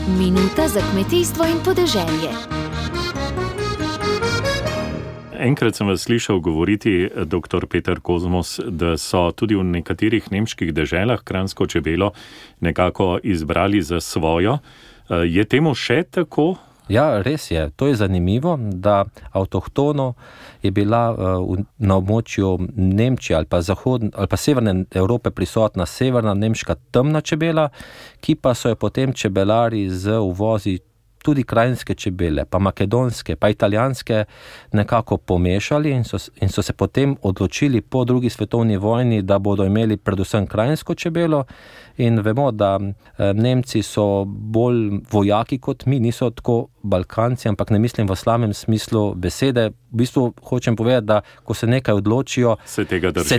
Minuta za kmetijstvo in podeželje. Enkrat sem vas slišal govoriti, dr. Peter Kozmos, da so tudi v nekaterih nemških deželah kranjsko čebelo nekako izbrali za svojo. Je temu še tako? Ja, res je. To je zanimivo, da avtohtono je bila na območju Nemčije ali pa severne Evrope prisotna severna nemška temna čebela, ki pa so jo potem čebelari z uvozi tudi krajinske čebele, pa makedonske, pa italijanske nekako pomešali in so se potem odločili po drugi svetovni vojni, da bodo imeli predvsem krajinsko čebelo. In vemo, da Nemci so bolj vojaki kot mi, niso tako Balkanci, ampak ne mislim v slabem smislu besede. V bistvu hočem povedati, da ko se nekaj odločijo, se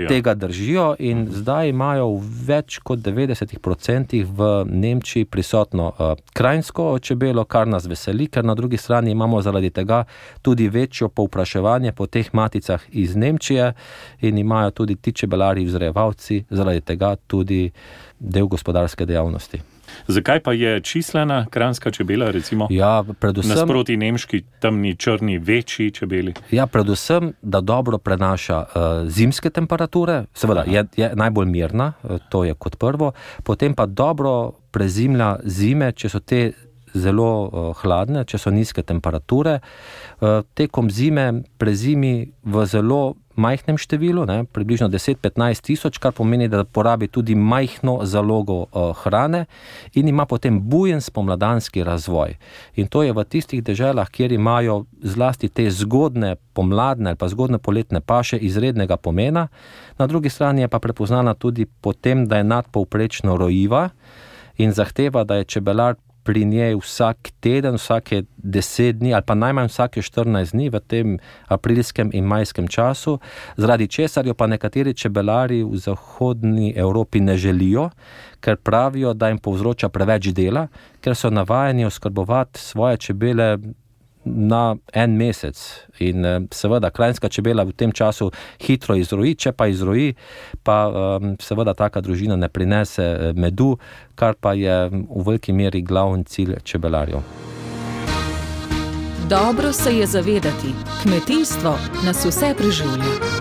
tega držijo in zdaj imajo v več kot 90% v Nemčiji prisotno krajinsko čebelo, kar nas veseli, ker na drugi strani imamo zaradi tega tudi večjo povpraševanje po teh maticah iz Nemčije in imajo tudi ti čebelari vzrejevalci zaradi tega tudi del gospodarske dejavnosti. Zakaj pa je čislena kranjska čebela, recimo, nasproti nemški temni, črni, večji čebeli? Ja, predvsem, da dobro prenaša zimske temperature, seveda je najbolj mirna, to je kot prvo, potem pa dobro prezimlja zime, če so te zelo hladne, če so nizke temperature. Tekom zime prezimi v zelo majhnem številu, približno 10-15 tisoč, kar pomeni, da porabi tudi majhno zalogo hrane in ima potem bujen spomladanski razvoj. In to je v tistih deželah, kjer imajo zlasti te zgodne pomladne ali pa zgodne poletne paše izrednega pomena. Na drugi strani je pa prepoznana tudi po tem, da je nadpovprečno rojiva in zahteva, da je čebelar pri njej vsak teden, vsake 10 dni ali pa najmanj vsake 14 dni v tem aprilskem in majskem času, zaradi česar jo pa nekateri čebelari v zahodni Evropi ne želijo, ker pravijo, da jim povzroča preveč dela, ker so navajeni oskrbovati svoje čebele na en mesec. In seveda krajinska čebela v tem času hitro izroji, če pa izroji, pa seveda taka družina ne prinese medu, kar pa je v veliki meri glavni cilj čebelarjev. Dobro se je zavedati, kmetijstvo nas vse preživlja.